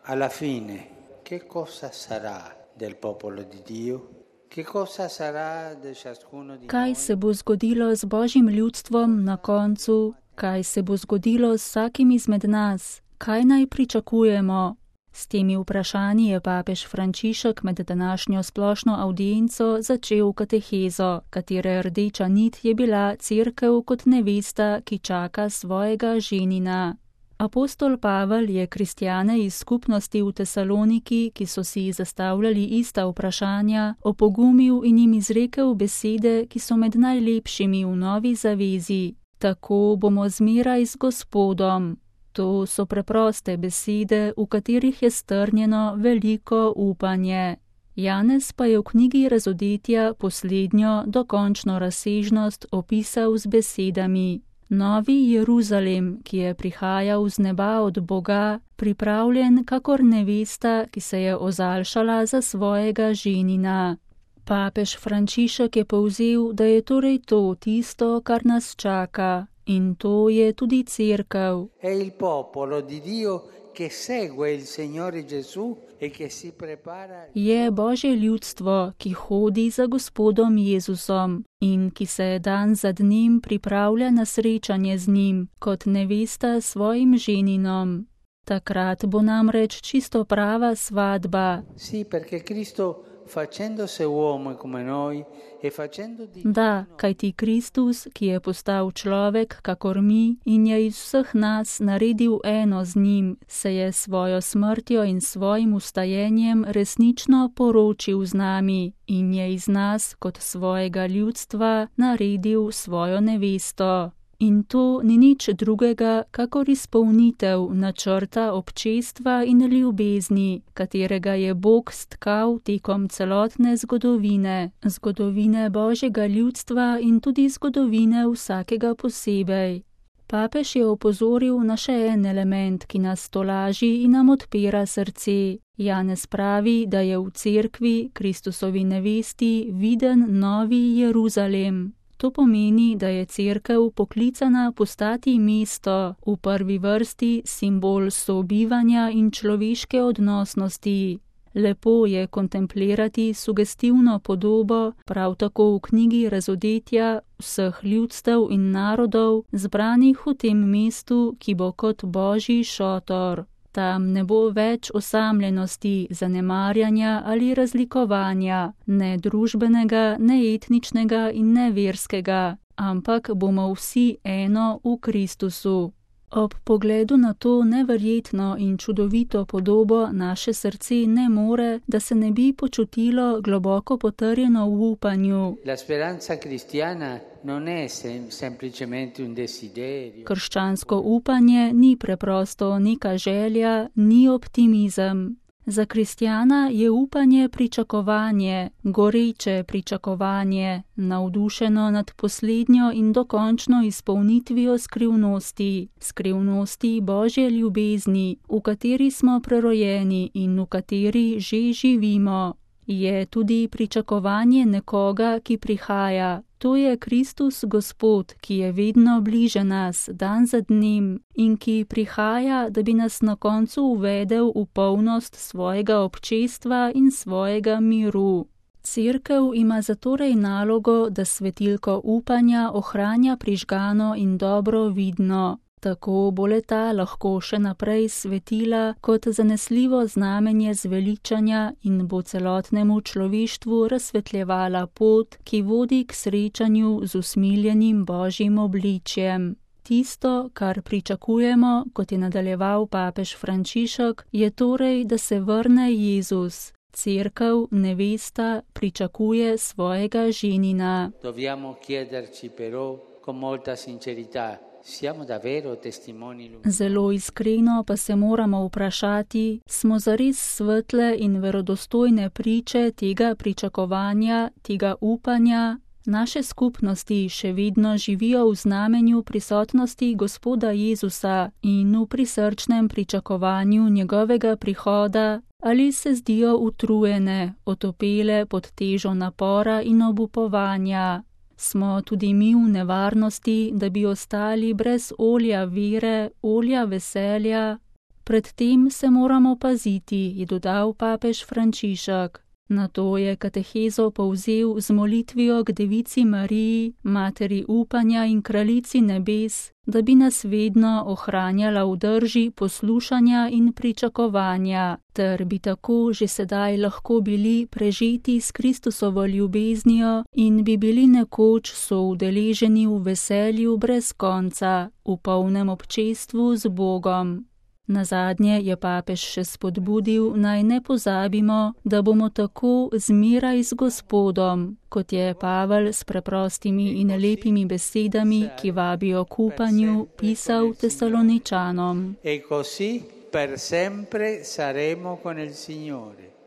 alla fine, che cosa sarà del popolo di Dio? Che cosa sarà di ciascuno di Kaj noi? se bo zgodilo z Božjim ljudstvom na koncu? Kaj se bo zgodilo z vsakim izmed nas? Kaj naj pričakujemo? S temi vprašanji je papež Frančišek med današnjo splošno avdienco začel katehezo, katere rdeča nit je bila cerkev kot nevesta, ki čaka svojega ženina. Apostol Pavel je kristjane iz skupnosti v Tesaloniki, ki so si zastavljali ista vprašanja, opogumil in jim izrekel besede, ki so med najlepšimi v novi zavezi. Tako bomo zmeraj z Gospodom. To so preproste besede, v katerih je strnjeno veliko upanje. Janez pa je v knjigi Razodetja poslednjo, dokončno razsežnost opisal z besedami: Novi Jeruzalem, ki je prihajal z neba od Boga, pripravljen kakor nevesta, ki se je ozaljšala za svojega ženina. Papež Frančišek je povzel, da je torej to tisto, kar nas čaka, in to je tudi cerkev. È il popolo di Dio che segue il Signore Gesù e che si prepara. Je Božje ljudstvo, ki hodi za Gospodom Jezusom in ki se dan za dnem pripravlja na srečanje z njim, kot nevesta svojim ženinom. Takrat bo namreč čisto prava svadba. Sì, perché Cristo facendosi uomo come noi e facendo di Da, kajti Kristus, ki je postal človek kakor mi in je iz vseh nas naredil eno z njim, se je svojo smrtjo in svojim ustajenjem resnično poročil z nami in je iz nas kot svojega ljudstva naredil svojo nevesto. In to ni nič drugega, kakor izpolnitev načrta občestva in ljubezni, katerega je Bog stkal tekom celotne zgodovine, zgodovine Božjega ljudstva in tudi zgodovine vsakega posebej. Papež je opozoril na še en element, ki nas tolaži in nam odpira srce. Janez pravi, da je v cerkvi, Kristusovi nevesti, viden novi Jeruzalem. To pomeni, da je cerkev poklicana postati mesto, v prvi vrsti simbol sobivanja in človeške odnosnosti. Lepo je kontemplirati sugestivno podobo, prav tako v knjigi Razodetja, vseh ljudstev in narodov, zbranih v tem mestu, ki bo kot Božji šotor. Tam ne bo več osamljenosti, zanemarjanja ali razlikovanja, ne družbenega, ne etničnega in ne verskega, ampak bomo vsi eno v Kristusu. Ob pogledu na to neverjetno in čudovito podobo naše srce ne more, da se ne bi počutilo globoko potrjeno v upanju. La speranza cristiana non è semplicemente un desiderio. Krščansko upanje ni preprosto neka želja, ni optimizem. Za kristjana je upanje pričakovanje, goreče pričakovanje, navdušeno nad poslednjo in dokončno izpolnitvijo skrivnosti Božje ljubezni, v kateri smo prerojeni in v kateri že živimo. Je tudi pričakovanje nekoga, ki prihaja. To je Kristus Gospod, ki je vedno bliže nas, dan za dnem, in ki prihaja, da bi nas na koncu uvedel v polnost svojega občestva in svojega miru. Cerkev ima zatorej nalogo, da svetilko upanja ohranja prižgano in dobro vidno. Tako bo le-ta lahko še naprej svetila kot zanesljivo znamenje zveličanja in bo celotnemu človeštvu razsvetljevala pot, ki vodi k srečanju z usmiljenim Božjim obličjem. Tisto, kar pričakujemo, kot je nadaljeval papež Frančišek, je torej, da se vrne Jezus. Cerkev, nevesta, pričakuje svojega ženina. Dobbiamo chiederci però con molta sincerità. Zelo iskreno pa se moramo vprašati, smo zares svetle in verodostojne priče tega pričakovanja, tega upanja. Naše skupnosti še vedno živijo v znamenju prisotnosti Gospoda Jezusa in v prisrčnem pričakovanju njegovega prihoda, ali se zdijo utrujene, otopele pod težo napora in obupovanja. Smo tudi mi v nevarnosti, da bi ostali brez olja vere, olja veselja. Pred tem se moramo paziti, je dodal papež Frančišek. Nato je katehezo povzel z molitvijo k Devici Mariji, materi upanja in kraljici nebes, da bi nas vedno ohranjala v drži poslušanja in pričakovanja, ter bi tako že sedaj lahko bili prežeti s Kristusovo ljubeznijo in bi bili nekoč soudeleženi v veselju brez konca, v polnem občestvu z Bogom. Nazadnje je papež še spodbudil, naj ne pozabimo, da bomo tako zmeraj z Gospodom, kot je Pavel s preprostimi in lepimi besedami, ki vabijo k upanju, pisal Tesaloničanom. E così per sempre saremo con il Signore.